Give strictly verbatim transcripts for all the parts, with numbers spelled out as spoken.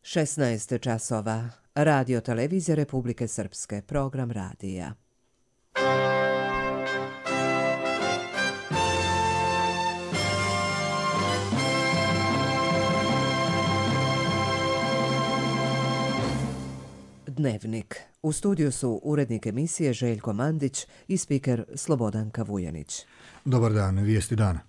šesnaest časova. Radio televizija Republike Srpske. Program radija. Dnevnik. U studiju su urednik emisije Željko Mandić i spiker Slobodanka Vujanić. Dobar dan, vijesti dana.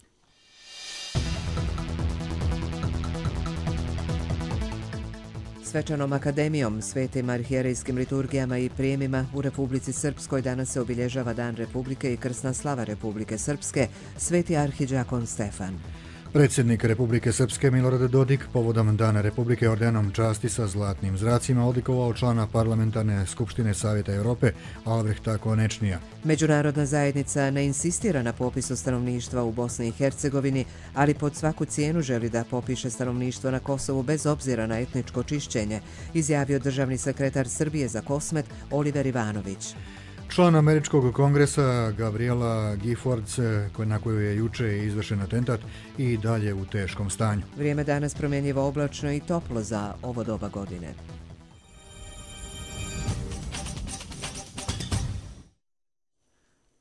Svečanom akademijom, svetim arhijerejskim liturgijama i prijemima u Republici Srpskoj danas se obilježava Dan Republike i krsna slava Republike Srpske, sveti arhidžakon Stefan. Predsjednik Republike Srpske Milorad Dodik povodom Dana Republike ordenom časti sa zlatnim zracima odlikovao člana Parlamentarne skupštine Savjeta Europe Albrehta Konečnija. Međunarodna zajednica ne insistira na popisu stanovništva u Bosni i Hercegovini, ali pod svaku cijenu želi da popiše stanovništvo na Kosovu bez obzira na etničko čišćenje, izjavio državni sekretar Srbije za Kosmet Oliver Ivanović. Član Američkog kongresa Gabriela Giffords, na koju je juče izvršen atentat, i dalje u teškom stanju. Vrijeme danas promjenjivo, oblačno i toplo za ovo doba godine.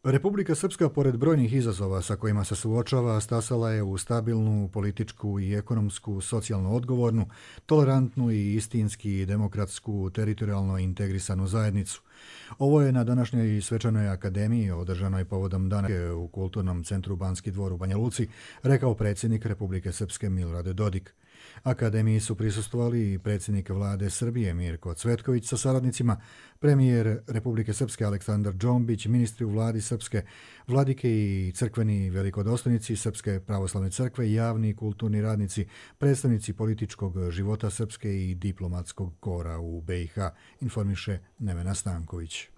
Republika Srpska, pored brojnih izazova sa kojima se suočava, stasala je u stabilnu političku i ekonomsku, socijalno odgovornu, tolerantnu i istinski demokratsku, teritorijalno integrisanu zajednicu. Ovo je na današnjoj svečanoj akademiji održanoj povodom Dana u Kulturnom centru Banski dvor u Banja Luci rekao predsjednik Republike Srpske Milorad Dodik. Akademiji su prisustvovali i predsjednik vlade Srbije Mirko Cvetković sa saradnicima, premijer Republike Srpske Aleksandar Džombić, ministri u vladi Srpske, vladike i crkveni velikodostojnici Srpske pravoslavne crkve, javni i kulturni radnici, predstavnici političkog života Srpske i diplomatskog kora u be i ha, informiše Nevena Stanković.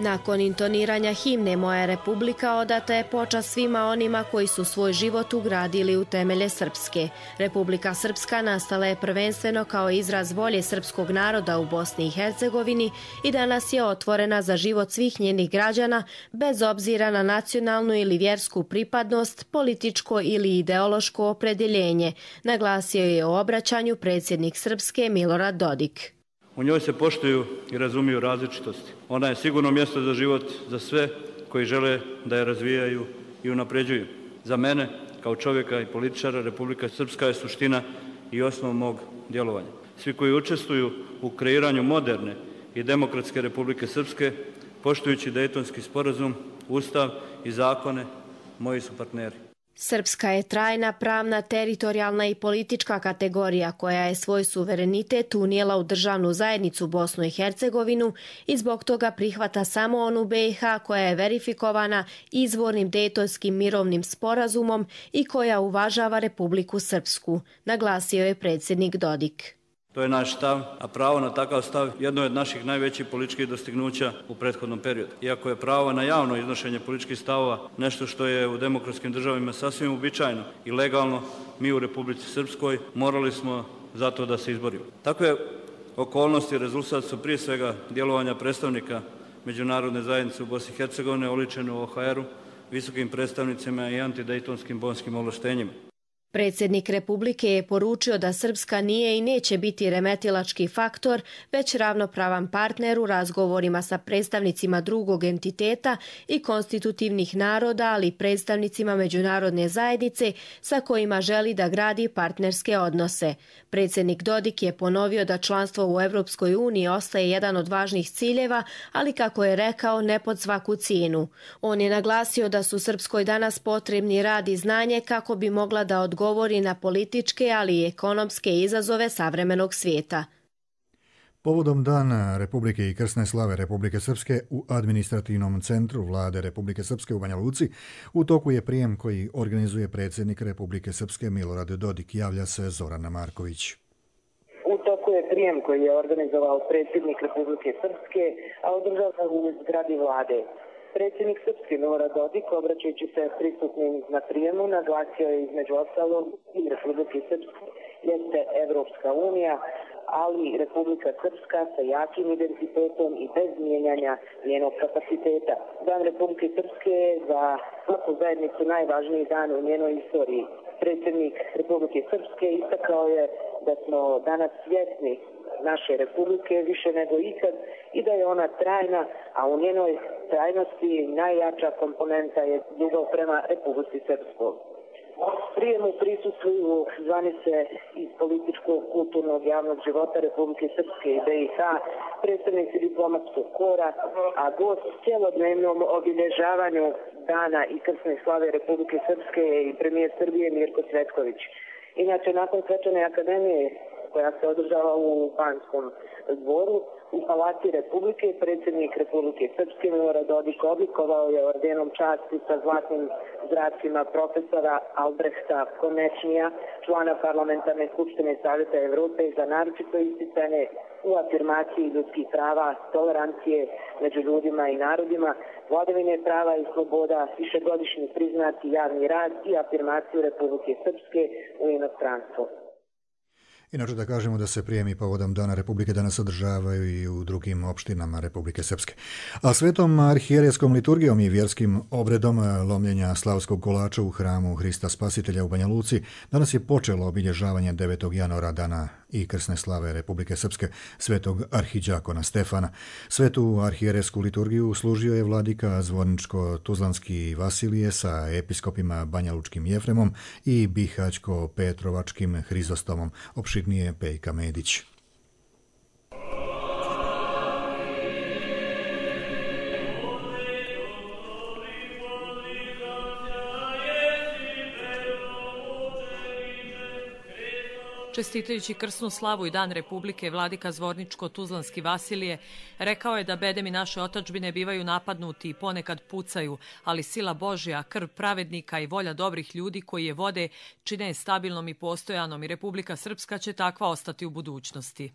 Nakon intoniranja himne Moja Republika odata je počast svima onima koji su svoj život ugradili u temelje Srpske. Republika Srpska nastala je prvenstveno kao izraz volje srpskog naroda u Bosni i Hercegovini i danas je otvorena za život svih njenih građana bez obzira na nacionalnu ili vjersku pripadnost, političko ili ideološko opredjeljenje, naglasio je u obraćanju predsjednik Srpske Milorad Dodik. U njoj se poštuju i razumiju različitosti. Ona je sigurno mjesto za život za sve koji žele da je razvijaju i unapređuju. Za mene, kao čovjeka i političara, Republika Srpska je suština i osnov mog djelovanja. Svi koji učestvuju u kreiranju moderne i demokratske Republike Srpske, poštujući Dejtonski sporazum, Ustav i zakone, moji su partneri. Srpska je trajna, pravna, teritorijalna i politička kategorija koja je svoj suverenitet unijela u državnu zajednicu Bosnu i Hercegovinu i zbog toga prihvata samo onu be i ha koja je verifikovana izvornim Dejtonskim mirovnim sporazumom i koja uvažava Republiku Srpsku, naglasio je predsjednik Dodik. To je naš stav, a pravo na takav stav jedno je od naših najvećih političkih dostignuća u prethodnom periodu. Iako je pravo na javno iznošenje političkih stavova nešto što je u demokratskim državama sasvim uobičajeno i legalno, mi u Republici Srpskoj morali smo za to da se izborimo. Takve okolnosti rezultat su prije svega djelovanja predstavnika Međunarodne zajednice u Bosni i Hercegovini oličene u o ha eru, visokim predstavnicima i antidejtonskim bonskim ovlaštenjima. Predsjednik Republike je poručio da Srpska nije i neće biti remetilački faktor, već ravnopravan partner u razgovorima sa predstavnicima drugog entiteta i konstitutivnih naroda, ali i predstavnicima međunarodne zajednice sa kojima želi da gradi partnerske odnose. Predsjednik Dodik je ponovio da članstvo u Europskoj uniji ostaje jedan od važnih ciljeva, ali kako je rekao, ne pod svaku cijenu. On je naglasio da su Srpskoj danas potrebni rad i znanje kako bi mogla da odgovori govori na političke, ali i ekonomske izazove savremenog svijeta. Povodom Dana Republike i krsne slave Republike Srpske u administrativnom centru vlade Republike Srpske u Banja Luci u toku je prijem koji organizuje predsjednik Republike Srpske Milorad Dodik, javlja se Zorana Marković. U toku je prijem koji je organizovao predsjednik Republike Srpske, a održao se u zgradi vlade. Predsjednik Srpske Milorad Dodik, obraćajući se prisutnim na prijemu, naglasio je između ostalog i Republike Srpske jeste Evropska unija, ali Republika Srpska sa jakim identitetom i bez mijenjanja njenog kapaciteta. Dan Republike Srpske je za svaku zajednicu najvažniji dan u njenoj istoriji. Predsjednik Republike Srpske istakao je da smo danas svjesni naše republike više nego ikad i da je ona trajna, a u njenoj trajnosti najjača komponenta je ljubav prema Republici Srpskoj. Prijemu prisustvuju zvanice iz političkog, kulturnog, javnog života Republike Srpske i B i H, predstavnici diplomatskog kora, a gost cjelodnevnom obilježavanju dana i krsne slave Republike Srpske je i premijer Srbije Mirko Cvetković. Inače, nakon svečane akademije koja se održava u Banskom dvoru, u Palati Republike, predsjednik Republike Srpske Milorad Dodik odlikovao je ordenom časti sa zlatnim zracima profesora Albrehta Konečnija, člana Parlamentarne skupštine Savjeta Evrope, za naročito isticanje u afirmaciji ljudskih prava, tolerancije među ljudima i narodima, vladavine prava i sloboda, višegodišnji priznati javni rad i afirmaciju Republike Srpske u inostranstvu. Inače da kažemo da se prijemi povodom Dana Republike danas održavaju i u drugim opštinama Republike Srpske. A svetom arhijerejskom liturgijom i vjerskim obredom lomljenja slavskog kolača u hramu Hrista Spasitelja u Banja Luci danas je počelo obilježavanje devetog januara dana i krsne slave Republike Srpske svetog arhidžakona Stefana. Svetu arhijerejsku liturgiju služio je vladika Zvorničko-Tuzlanski Vasilije sa episkopima Banjalučkim Jefremom i Bihaćko-Petrovačkim Hrizostomom. Opširnije Pejka Medić. Čestitajući krsnu slavu i Dan Republike, vladika Zvorničko-Tuzlanski Vasilije rekao je da bedemi naše otadžbine bivaju napadnuti i ponekad pucaju, ali sila Božja, krv pravednika i volja dobrih ljudi koji je vode čine je stabilnom i postojanom i Republika Srpska će takva ostati u budućnosti.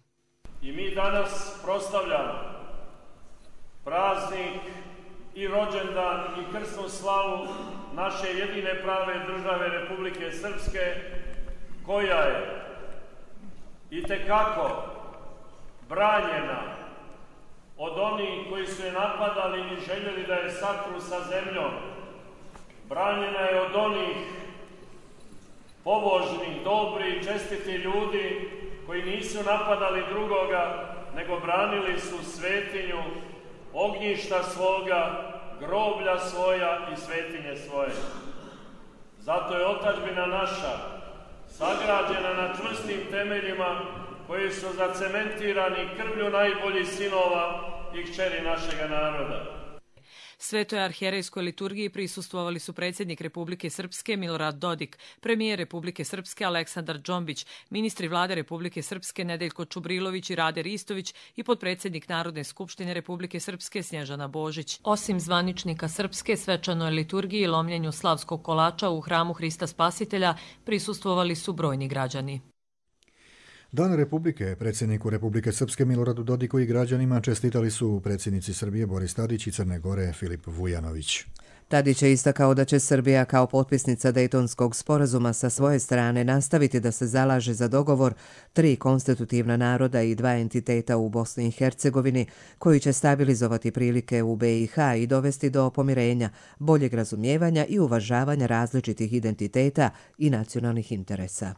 I mi danas proslavljamo praznik i rođendan i krsnu slavu naše jedine prave države Republike Srpske, koja je itekako branjena od onih koji su je napadali i željeli da je satru sa zemljom. Branjena je od onih pobožnih, dobri, čestiti ljudi koji nisu napadali drugoga, nego branili su svetinju, ognjišta svoga, groblja svoja i svetinje svoje. Zato je otadžbina naša sagrađena na čvrstim temeljima koji su zacementirani krvlju najboljih sinova i kćeri našega naroda. Svetoj arhijerejskoj liturgiji prisustvovali su predsjednik Republike Srpske Milorad Dodik, premijer Republike Srpske Aleksandar Džombić, ministri vlade Republike Srpske Nedeljko Čubrilović i Rade Ristović i potpredsjednik Narodne skupštine Republike Srpske Snježana Božić. Osim zvaničnika Srpske, svečanoj liturgiji i lomljenju slavskog kolača u hramu Hrista Spasitelja prisustvovali su brojni građani. Dan Republike predsjedniku Republike Srpske Miloradu Dodiku i građanima čestitali su predsjednici Srbije Boris Tadić i Crne Gore Filip Vujanović. Tadić je istakao da će Srbija kao potpisnica Dejtonskog sporazuma sa svoje strane nastaviti da se zalaže za dogovor tri konstitutivna naroda i dva entiteta u Bosni i Hercegovini koji će stabilizovati prilike u B i H i dovesti do pomirenja, boljeg razumijevanja i uvažavanja različitih identiteta i nacionalnih interesa.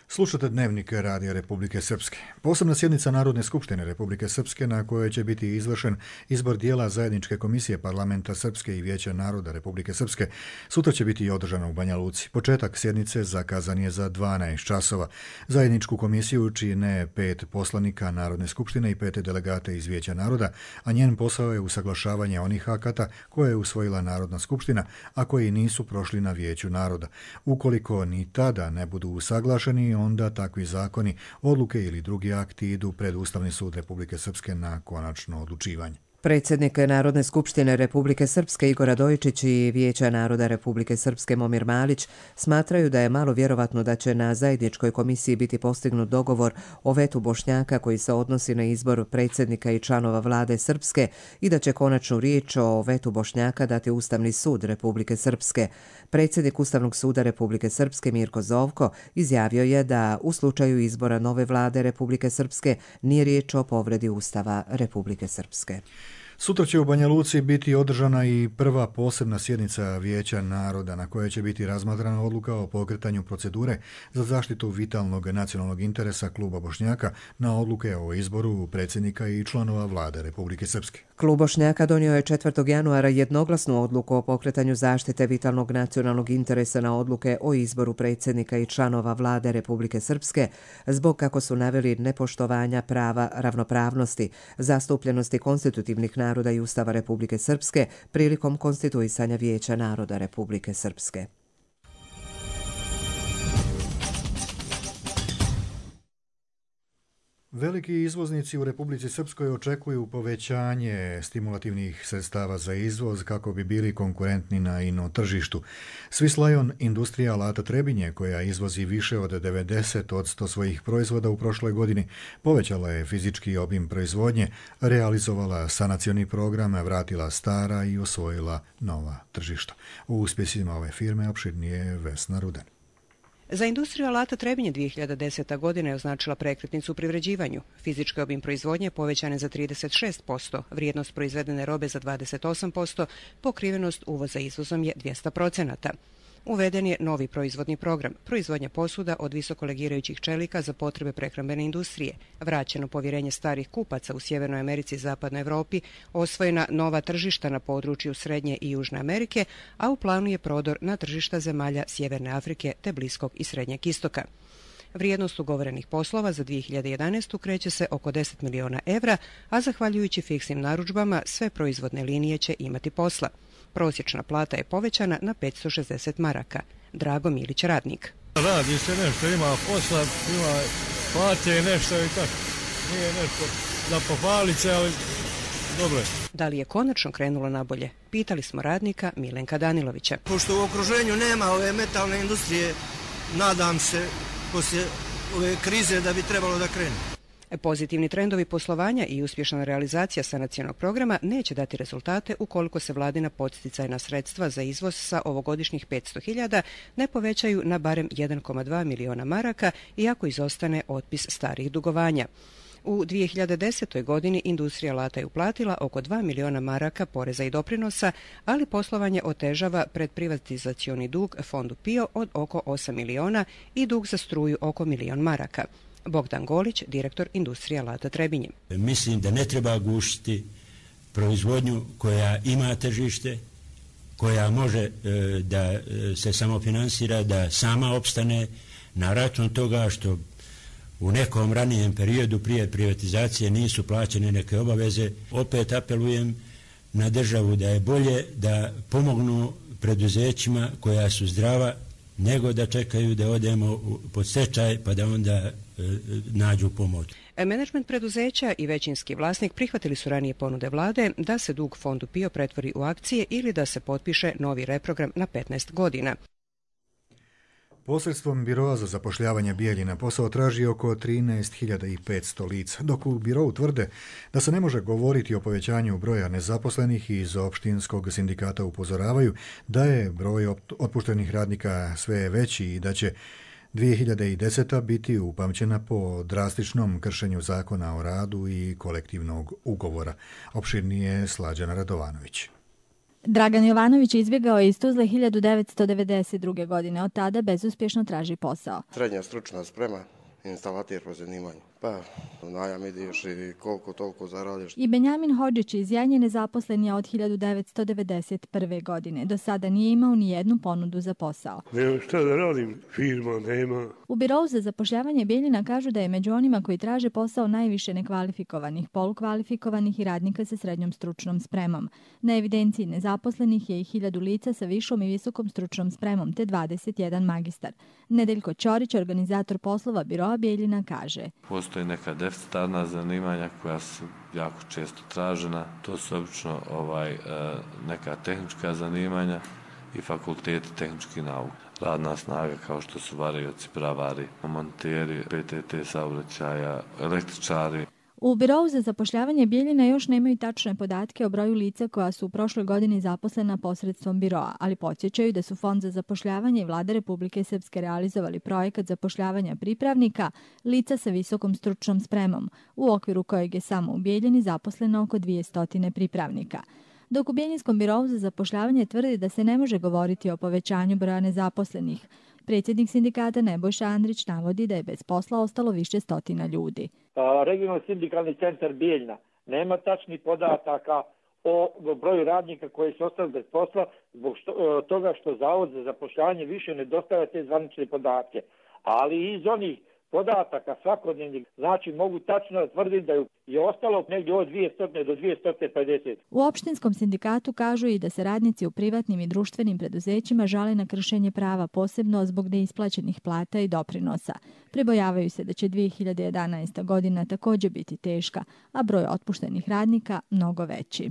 Slušate Dnevnik Radija Republike Srpske. Posebna sjednica Narodne skupštine Republike Srpske na kojoj će biti izvršen izbor dijela zajedničke komisije Parlamenta Srpske i Vijeća naroda Republike Srpske sutra će biti održana u Banja Luci. Početak sjednice zakazan je za dvanaest časova. Zajedničku komisiju čine pet poslanika Narodne skupštine i pet delegata iz Vijeća naroda, a njen posao je usaglašavanje onih akata koje je usvojila Narodna skupština, a koji nisu prošli na Vijeću naroda. Ukoliko ni tada ne budu usaglašeni, onda takvi zakoni, odluke ili drugi akti idu pred Ustavni sud Republike Srpske na konačno odlučivanje. Predsjednik Narodne skupštine Republike Srpske Igor Radojičić i Vijeća naroda Republike Srpske Momir Malić smatraju da je malo vjerovatno da će na zajedničkoj komisiji biti postignut dogovor o vetu Bošnjaka koji se odnosi na izbor predsjednika i članova vlade Srpske i da će konačnu riječ o vetu Bošnjaka dati Ustavni sud Republike Srpske. Predsjednik Ustavnog suda Republike Srpske Mirko Zovko izjavio je da u slučaju izbora nove vlade Republike Srpske nije riječ o povredi Ustava Republike Srpske. Sutra će u Banja Luci biti održana i prva posebna sjednica Vijeća naroda na kojoj će biti razmatrana odluka o pokretanju procedure za zaštitu vitalnog nacionalnog interesa kluba Bošnjaka na odluke o izboru predsjednika i članova vlade Republike Srpske. Klub Bošnjaka donio je četvrtog januara jednoglasnu odluku o pokretanju zaštite vitalnog nacionalnog interesa na odluke o izboru predsjednika i članova vlade Republike Srpske zbog, kako su naveli, nepoštovanja prava ravnopravnosti, zastupljenosti konstitutivnih naroda i Ustava Republike Srpske prilikom konstituisanja Vijeća naroda Republike Srpske. Veliki izvoznici u Republici Srpskoj očekuju povećanje stimulativnih sredstava za izvoz kako bi bili konkurentni na ino tržištu. Swiss Lion industrija alata Trebinje, koja izvozi više od devedeset posto svojih proizvoda u prošloj godini, povećala je fizički obim proizvodnje, realizovala sanacioni program, vratila stara i osvojila nova tržišta. U uspjesima ove firme opširnije Vesna Rudan. Za industriju alata Trebinje dvije hiljade deseta. godina je označila prekretnicu u privređivanju. Fizički obim proizvodnje povećan je za trideset šest posto, vrijednost proizvedene robe za dvadeset osam posto, pokrivenost uvoza izvozom je dvjesto procenata. Uveden je novi proizvodni program, proizvodnja posuda od visokolegirajućih čelika za potrebe prehrambene industrije, vraćeno povjerenje starih kupaca u Sjevernoj Americi i Zapadnoj Europi, osvojena nova tržišta na području Srednje i Južne Amerike, a u planu je prodor na tržišta zemalja Sjeverne Afrike te Bliskog i Srednjeg istoka. Vrijednost ugovorenih poslova za dvije hiljade jedanaestu. kreće se oko deset miliona evra, a zahvaljujući fiksnim narudžbama sve proizvodne linije će imati posla. Prosječna plata je povećana na petsto šezdeset maraka. Drago Milić, radnik. Radi se nešto, ima posla, ima plate nešto i tako. Nije nešto da pohvalit se, ali dobro je. Da li je konačno krenulo nabolje? Pitali smo radnika Milenka Danilovića. Pošto u okruženju nema ove metalne industrije, nadam se poslije ove krize da bi trebalo da krene. Pozitivni trendovi poslovanja i uspješna realizacija sanacionog programa neće dati rezultate ukoliko se vladina podsticajna sredstva za izvoz sa ovogodišnjih petsto hiljada ne povećaju na barem jedan zarez dva miliona maraka, iako izostane otpis starih dugovanja. U dvije hiljade desetoj. godini industrija alata je uplatila oko dva miliona maraka poreza i doprinosa, ali poslovanje otežava predprivatizacioni dug fondu PIO od oko osam miliona i dug za struju oko milion maraka. Bogdan Golić, direktor industrije alata Trebinje. Mislim da ne treba gušiti proizvodnju koja ima tržište, koja može e, da se samofinansira, da sama opstane na račun toga što u nekom ranijem periodu prije privatizacije nisu plaćene neke obaveze. Opet apelujem na državu da je bolje da pomognu preduzećima koja su zdrava, nego da čekaju da odemo pod stečaj pa da onda e, nađu pomoć. Menadžment preduzeća i većinski vlasnik prihvatili su ranije ponude vlade da se dug fondu PIO pretvori u akcije ili da se potpiše novi reprogram na petnaest godina. Posredstvom Biroa za zapošljavanje Bijeljina posao traži oko trinaest hiljada petsto lica, dok u Birou tvrde da se ne može govoriti o povećanju broja nezaposlenih i iz opštinskog sindikata upozoravaju da je broj otpuštenih radnika sve veći i da će dvije hiljade deseta. biti upamćena po drastičnom kršenju zakona o radu i kolektivnog ugovora. Opširnije Slađana Radovanović. Dragan Jovanović izbjegao je iz Tuzle hiljadu devetsto devedeset druge. godine. Od tada bezuspješno traži posao. Srednja stručna sprema, instalater po zanimanju. Pa, u najam ideš i koliko toliko zaradiš. I Benjamin Hodžić iz Janje nezaposlen je od hiljadu devetsto devedeset prve. godine. Do sada nije imao ni jednu ponudu za posao. Nema šta da radim, firma nema. U Birou za zapošljavanje Bijeljina kažu da je među onima koji traže posao najviše nekvalifikovanih, polukvalifikovanih i radnika sa srednjom stručnom spremom. Na evidenciji nezaposlenih je i hiljadu lica sa višom i visokom stručnom spremom, te dvadeset jedan magistar. Nedeljko Ćorić, organizator poslova Biroa Bijeljina, kaže: Postoji postoji neka deficitarna zanimanja koja su jako često tražena. To su obično ovaj, neka tehnička zanimanja i fakulteti tehničkih nauka. Radna snaga kao što su varioci, bravari, monteri, P T T saobraćaja, električari. U Birovu za zapošljavanje Bijeljina još nemaju tačne podatke o broju lica koja su u prošloj godini zaposlena posredstvom biroa, ali podsjećaju da su Fond za zapošljavanje i Vlada Republike Srpske realizovali projekat zapošljavanja pripravnika lica sa visokom stručnom spremom, u okviru kojeg je samo u Bijeljini zaposleno oko dvjesto pripravnika. Dok u Bijeljinskom birovu za zapošljavanje tvrdi da se ne može govoriti o povećanju broja nezaposlenih, predsjednik sindikata Nebojša Andrić navodi da je bez posla ostalo više stotina ljudi. Regionalni sindikalni centar Bijeljina nema tačnih podataka o broju radnika koji su ostali bez posla zbog što, toga što Zavod za zapošljavanje više ne dostavlja te zvanične podatke. Ali iz onih podataka svakodnevnih, znači mogu tačno tvrditi da je ostalo negdje od dvjesto do dvjesto pedeset. U opštinskom sindikatu kažu i da se radnici u privatnim i društvenim preduzećima žale na kršenje prava, posebno zbog neisplaćenih plata i doprinosa. Pribojavaju se da će dvije hiljade jedanaesta godina također biti teška, a broj otpuštenih radnika mnogo veći.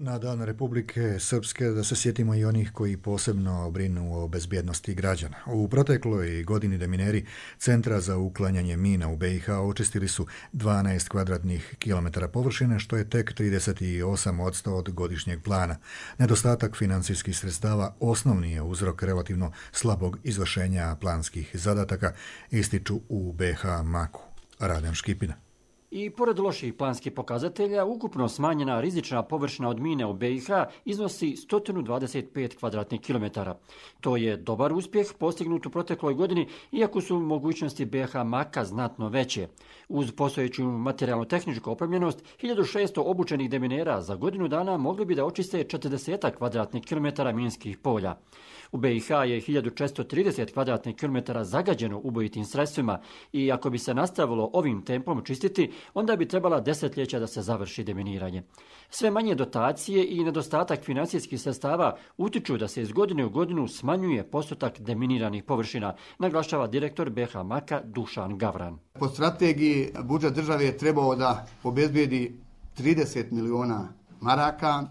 Na Dan Republike Srpske da se sjetimo i onih koji posebno brinu o bezbjednosti građana. U protekloj godini demineri Centra za uklanjanje mina u B i H očistili su dvanaest kvadratnih kilometara površine, što je tek trideset osam posto od godišnjeg plana. Nedostatak financijskih sredstava osnovni je uzrok relativno slabog izvršenja planskih zadataka, ističu u B H Maku. Radan Škipina. I pored loših planskih pokazatelja, ukupno smanjena rizična površina od mine u B i H iznosi sto dvadeset pet kvadratnih kilometara. To je dobar uspjeh postignut u protekloj godini, iako su mogućnosti B H Maka znatno veće. Uz postojeću materijalno-tehničku opremljenost, hiljadu šesto obučenih deminera za godinu dana mogli bi da očiste četrdeset kvadratnih kilometara minskih polja. U B i H je hiljadu četiristo trideset kvadratnih kilometara zagađeno ubojitim sredstvima i ako bi se nastavilo ovim tempom čistiti, onda bi trebala desetljeća da se završi deminiranje. Sve manje dotacije i nedostatak financijskih sredstava utiču da se iz godine u godinu smanjuje postotak deminiranih površina, naglašava direktor B H Maka Dušan Gavran. Po strategiji budžet države je trebao da obezbijedi trideset miliona maraka.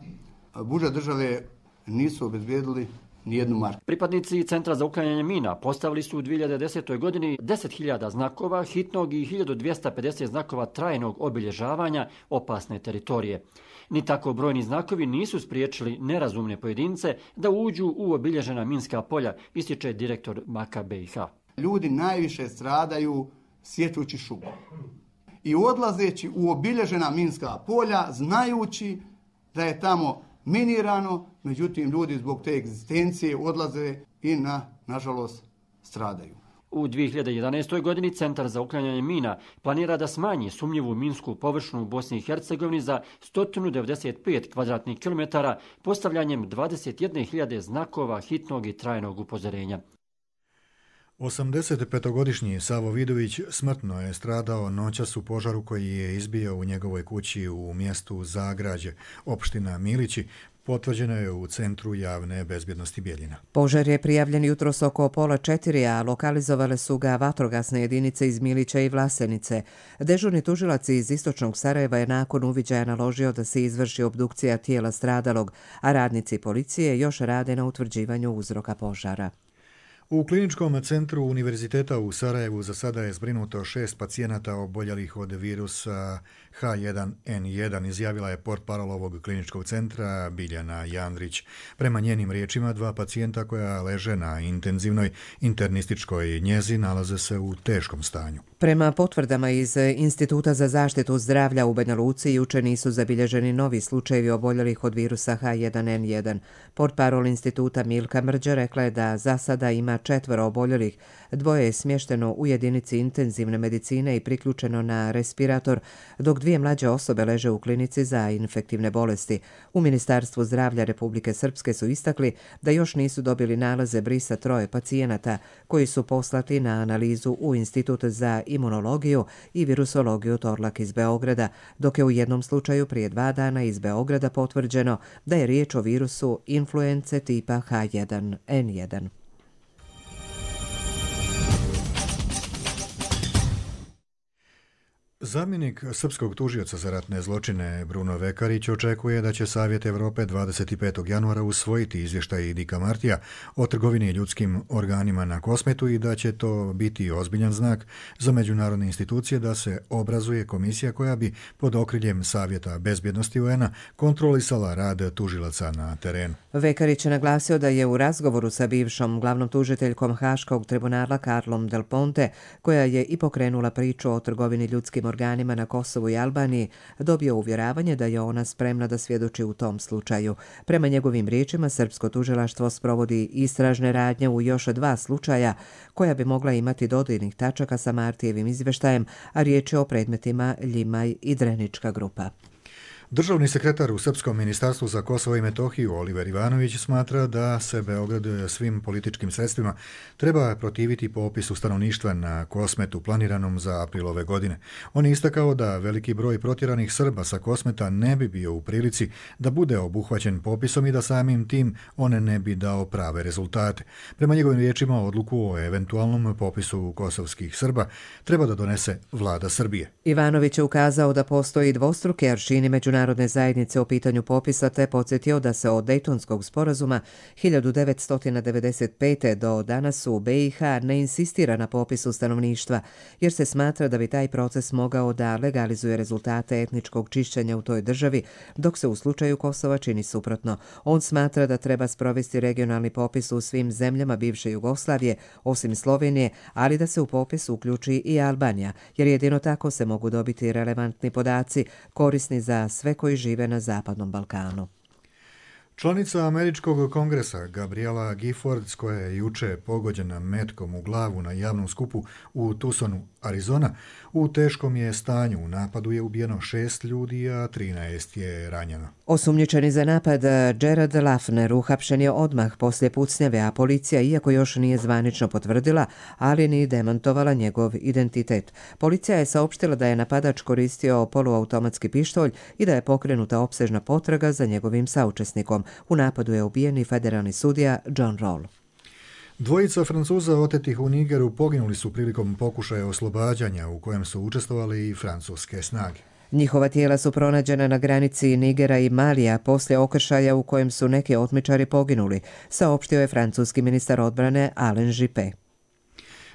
Budžet države nisu obezbijedili nijednu marku. Pripadnici Centra za uklanjanje mina postavili su u dvije hiljade desetoj. godini deset hiljada znakova hitnog i hiljadu dvjesto pedeset znakova trajnog obilježavanja opasne teritorije. Ni tako brojni znakovi nisu spriječili nerazumne pojedince da uđu u obilježena minska polja, ističe direktor Maka B i H. Ljudi najviše stradaju sječući šumu i odlazeći u obilježena minska polja, znajući da je tamo minirano, međutim ljudi zbog te egzistencije odlaze i na, nažalost, stradaju. U dvije hiljade jedanaestoj. godini Centar za uklanjanje mina planira da smanji sumnjivu minsku površinu u Bosni i Hercegovini za sto devedeset pet kvadratnih kilometara postavljanjem dvadeset jedne hiljade znakova hitnog i trajnog upozorenja. osamdesetpetogodišnji Savo Vidović smrtno je stradao noćas u požaru koji je izbio u njegovoj kući u mjestu Zagrađe, opština Milići, potvrđeno je u Centru javne bezbjednosti Bijeljina. Požar je prijavljen jutros oko pola četiri, a lokalizovale su ga vatrogasne jedinice iz Milića i Vlasenice. Dežurni tužilac iz istočnog Sarajeva je nakon uviđaja naložio da se izvrši obdukcija tijela stradalog, a radnici policije još rade na utvrđivanju uzroka požara. U kliničkom centru Univerziteta u Sarajevu za sada je zbrinuto šest pacijenata oboljelih od virusa H jedan N jedan, izjavila je portparol ovog kliničkog centra Biljana Jandrić. Prema njenim riječima, dva pacijenta koja leže na intenzivnoj internističkoj njezi nalaze se u teškom stanju. Prema potvrdama iz Instituta za zaštitu zdravlja u Banja Luci juče nisu zabilježeni novi slučajevi oboljelih od virusa H jedan N jedan. Portparol instituta Milka Mrđa rekla je da za sada ima četvoro oboljelih, dvoje je smješteno u jedinici intenzivne medicine i priključeno na respirator, dok dvije mlađe osobe leže u klinici za infektivne bolesti. U Ministarstvu zdravlja Republike Srpske su istakli da još nisu dobili nalaze brisa troje pacijenata koji su poslati na analizu u Institut za imunologiju i virusologiju Torlak iz Beograda, dok je u jednom slučaju prije dva dana iz Beograda potvrđeno da je riječ o virusu influence tipa H jedan N jedan. Zamjenik srpskog tužioca za ratne zločine Bruno Vekarić očekuje da će Savjet Evrope dvadeset petog januara usvojiti izvještaj Dika Martija o trgovini ljudskim organima na Kosmetu i da će to biti ozbiljan znak za međunarodne institucije da se obrazuje komisija koja bi pod okriljem Savjeta bezbjednosti U N-a kontrolisala rad tužilaca na terenu. Vekarić je naglasio da je u razgovoru sa bivšom glavnom tužiteljkom Haškog tribunala Carlom Del Ponte, koja je i pokrenula priču o trgovini ljudskim organima na Kosovu i Albaniji, dobio uvjeravanje da je ona spremna da svjedoči u tom slučaju. Prema njegovim riječima, srpsko tužilaštvo sprovodi istražne radnje u još dva slučaja koja bi mogla imati dodirnih tačaka sa Martijevim izvještajem, a riječ je o predmetima Ljimaj i Drenička grupa. Državni sekretar u Srpskom ministarstvu za Kosovo i Metohiju Oliver Ivanović smatra da se Beograd svim političkim sredstvima treba protiviti popisu stanovništva na Kosmetu planiranom za april ove godine. On je istakao da veliki broj protjeranih Srba sa Kosmeta ne bi bio u prilici da bude obuhvaćen popisom i da samim tim on ne bi dao prave rezultate. Prema njegovim riječima, odluku o eventualnom popisu kosovskih Srba treba da donese vlada Srbije. Ivanović je ukazao da postoji dvostruki aršini međunarodne Narodne zajednice o pitanju popisa te podsjetio da se od Dejtonskog sporazuma hiljadu devetsto devedeset pete do danas u B i H ne insistira na popisu stanovništva, jer se smatra da bi taj proces mogao da legalizuje rezultate etničkog čišćenja u toj državi, dok se u slučaju Kosova čini suprotno. On smatra da treba sprovesti regionalni popis u svim zemljama bivše Jugoslavije, osim Slovenije, ali da se u popis uključi i Albanija, jer jedino tako se mogu dobiti relevantni podaci korisni za sve koji žive na Zapadnom Balkanu. Članica Američkog kongresa Gabriela Giffords, koja je juče pogođena metkom u glavu na javnom skupu u Tucsonu, Arizona, u teškom je stanju. U napadu je ubijeno šest ljudi, a trinaest je ranjeno. Osumnjičeni za napad Jared Lafner uhapšen je odmah poslije pucnjave, a policija, iako još nije zvanično potvrdila, ali ni demantovala njegov identitet. Policija je saopštila da je napadač koristio poluautomatski pištolj i da je pokrenuta opsežna potraga za njegovim saučesnikom. U napadu je ubijen i federalni sudija John Roll. Dvojica Francuza otetih u Nigeru poginuli su prilikom pokušaja oslobađanja u kojem su učestvovali i francuske snage. Njihova tijela su pronađena na granici Nigera i Malija poslije okršaja u kojem su neki otmičari poginuli, saopštio je francuski ministar odbrane Alain Juppé.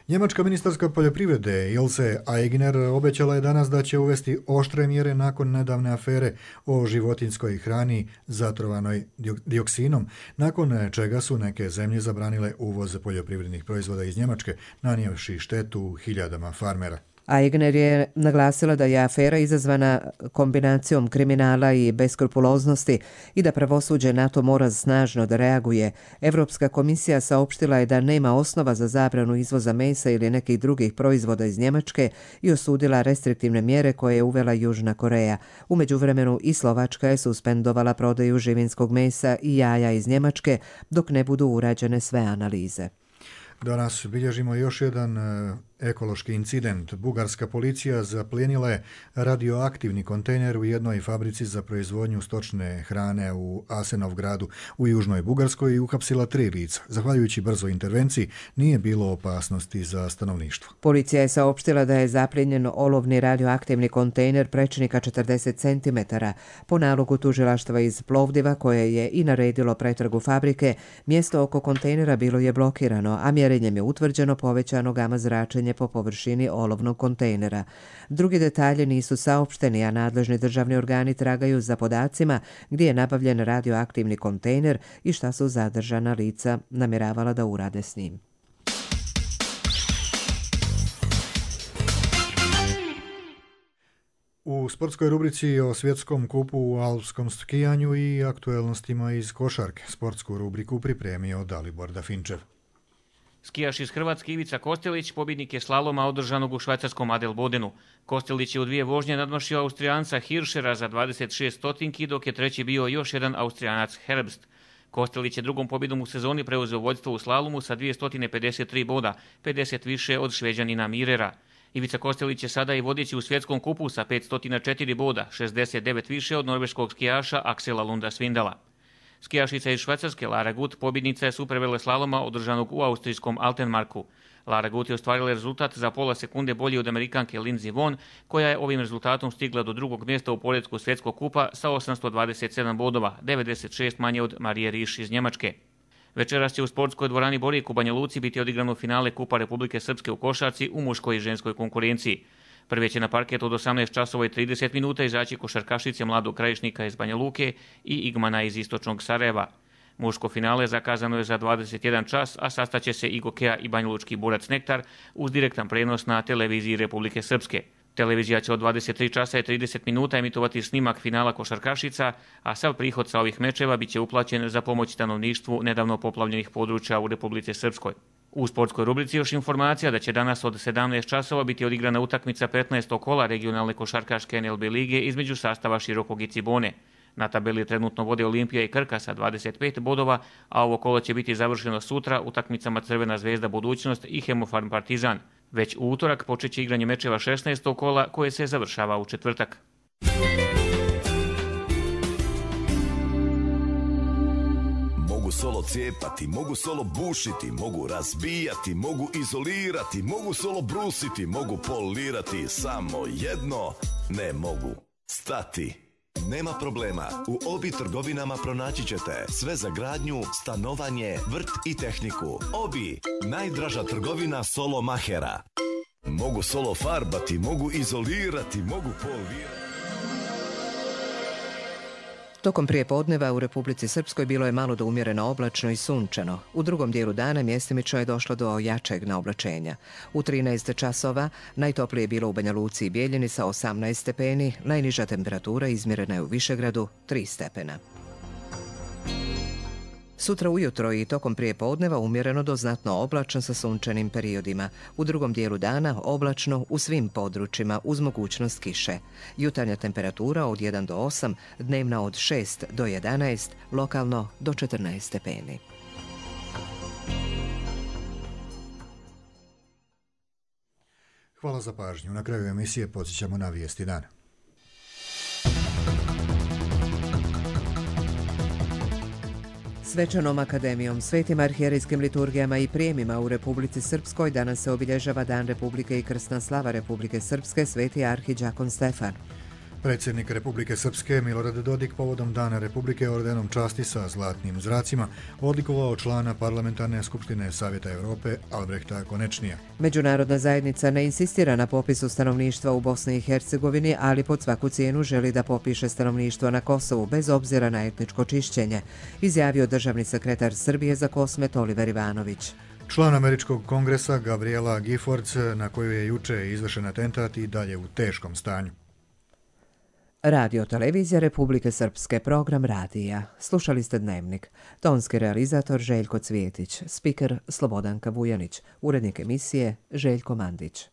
Njemačka ministarska poljoprivrede Ilse Aigner obećala je danas da će uvesti oštre mjere nakon nedavne afere o životinjskoj hrani zatrovanoj dioksinom, nakon čega su neke zemlje zabranile uvoz poljoprivrednih proizvoda iz Njemačke, nanijevši štetu hiljadama farmera. Aigner je naglasila da je afera izazvana kombinacijom kriminala i beskrupuloznosti i da pravosuđe na to mora snažno da reaguje. Evropska komisija saopštila je da nema osnova za zabranu izvoza mesa ili nekih drugih proizvoda iz Njemačke i osudila restriktivne mjere koje je uvela Južna Koreja. U međuvremenu i Slovačka je suspendovala prodaju živinskog mesa i jaja iz Njemačke dok ne budu urađene sve analize. Danas bilježimo još jedan ekološki incident. Bugarska policija zaplijenila je radioaktivni kontejner u jednoj fabrici za proizvodnju stočne hrane u Asenovgradu u južnoj Bugarskoj i uhapsila tri lica. Zahvaljujući brzoj intervenciji nije bilo opasnosti za stanovništvo. Policija je saopštila da je zaplijenjen olovni radioaktivni kontejner prečnika četrdeset centimetara. Po nalogu tužilaštva iz Plovdiva, koje je i naredilo pretragu fabrike, mjesto oko kontejnera bilo je blokirano, a mjerenjem je utvrđeno povećano gama zračenje po površini olovnog kontejnera. Drugi detalji nisu saopšteni, a nadležni državni organi tragaju za podacima gdje je nabavljen radioaktivni kontejner i šta su zadržana lica namjeravala da urade s njim. U sportskoj rubrici o svjetskom kupu u alpskom skijanju i aktuelnostima iz košarke. Sportsku rubriku pripremio Dalibor Dafinčev. Skijaš iz Hrvatske Ivica Kostelić pobjednik je slaloma održanog u švajcarskom Adelbodenu. Kostelić je u dvije vožnje nadmašio Austrijanca Hirschera za dvadeset šest stotinki, dok je treći bio još jedan Austrijanac Herbst. Kostelić je drugom pobjedom u sezoni preuzeo vodstvo u slalomu sa dvjesto pedeset tri boda, pedeset više od Šveđanina Mirera. Ivica Kostelić je sada i vodeći u svjetskom kupu sa petsto četiri boda, šezdeset devet više od norveškog skijaša Aksela Lunda Svindala. Skijašica iz Švajcarske Lara Gut pobjednica je superveleslaloma održanog u austrijskom Altenmarku. Lara Gut je ostvarila rezultat za pola sekunde bolji od Amerikanke Lindsey Vonn, koja je ovim rezultatom stigla do drugog mjesta u poretku svjetskog kupa sa osamsto dvadeset sedam bodova, devedeset šest manje od Marije Riš iz Njemačke. Večeras će u sportskoj dvorani Borijek u Banja Luci biti odigrano finale Kupa Republike Srpske u košarci u muškoj i ženskoj konkurenciji. Prvi će na parket od osamnaest časova i trideset minuta izaći košarkašice Mladog Krajišnika iz Banja Luke i Igmana iz Istočnog Sarajeva. Muško finale zakazano je za dvadeset jedan čas, a sastaće se i Gokeja i Banjalučki Borac Nektar uz direktan prenos na televiziji Republike Srpske. Televizija će od dvadeset tri časa i trideset minuta emitovati snimak finala košarkašica, a sav prihod sa ovih mečeva biće uplaćen za pomoć stanovništvu nedavno poplavljenih područja u Republici Srpskoj. U sportskoj rubrici još informacija da će danas od sedamnaest časova biti odigrana utakmica petnaestog kola regionalne košarkaške N L B lige između sastava Širokog i Cibone. Na tabeli trenutno vode Olimpija i Krka sa dvadeset pet bodova, a ovo kolo će biti završeno sutra utakmicama Crvena zvezda Budućnost i Hemofarm Partizan. Već u utorak počeće igranje mečeva šesnaestog kola koje se završava u četvrtak. Mogu solo cijepati, mogu solo bušiti, mogu razbijati, mogu izolirati, mogu solo brusiti, mogu polirati, samo jedno ne mogu stati. Nema problema, u Obi trgovinama pronaći ćete sve za gradnju, stanovanje, vrt i tehniku. Obi, najdraža trgovina solo mahera. Mogu solo farbati, mogu izolirati, mogu polirati. Tokom prijepodneva u Republici Srpskoj bilo je malo do umjereno oblačno i sunčano. U drugom dijelu dana mjestimično je došlo do jačeg naoblačenja. U trinaest časova najtoplije je bilo u Banja Luci i Bijeljini sa osamnaest stepeni, najniža temperatura izmjerena je u Višegradu tri stepena. Sutra ujutro i tokom prijepodneva umjereno do znatno oblačno sa sunčanim periodima. U drugom dijelu dana oblačno u svim područjima uz mogućnost kiše. Jutarnja temperatura od jedan do osam, dnevna od šest do jedanaest, lokalno do četrnaest stepeni. Hvala za pažnju. Na kraju emisije podsjećamo na vijesti dana. Svečanom akademijom, svetim arhijerejskim liturgijama i prijemima u Republici Srpskoj danas se obilježava Dan Republike i krsna slava Republike Srpske, sveti arhidžakon Stefan. Predsjednik Republike Srpske Milorad Dodik povodom Dana Republike ordenom časti sa zlatnim zracima odlikovao člana Parlamentarne skupštine Savjeta Europe Albrehta Konečnija. Međunarodna zajednica ne insistira na popisu stanovništva u Bosni i Hercegovini, ali pod svaku cijenu želi da popiše stanovništvo na Kosovu bez obzira na etničko čišćenje, izjavio državni sekretar Srbije za Kosmet Oliver Ivanović. Član Američkog kongresa Gabriela Giffords, na koju je juče izvršen atentat, i dalje u teškom stanju. Radio televizija Republike Srpske, program radija. Slušali ste Dnevnik. Tonski realizator Željko Cvijetić, spiker Slobodanka Vujanić, urednik emisije Željko Mandić.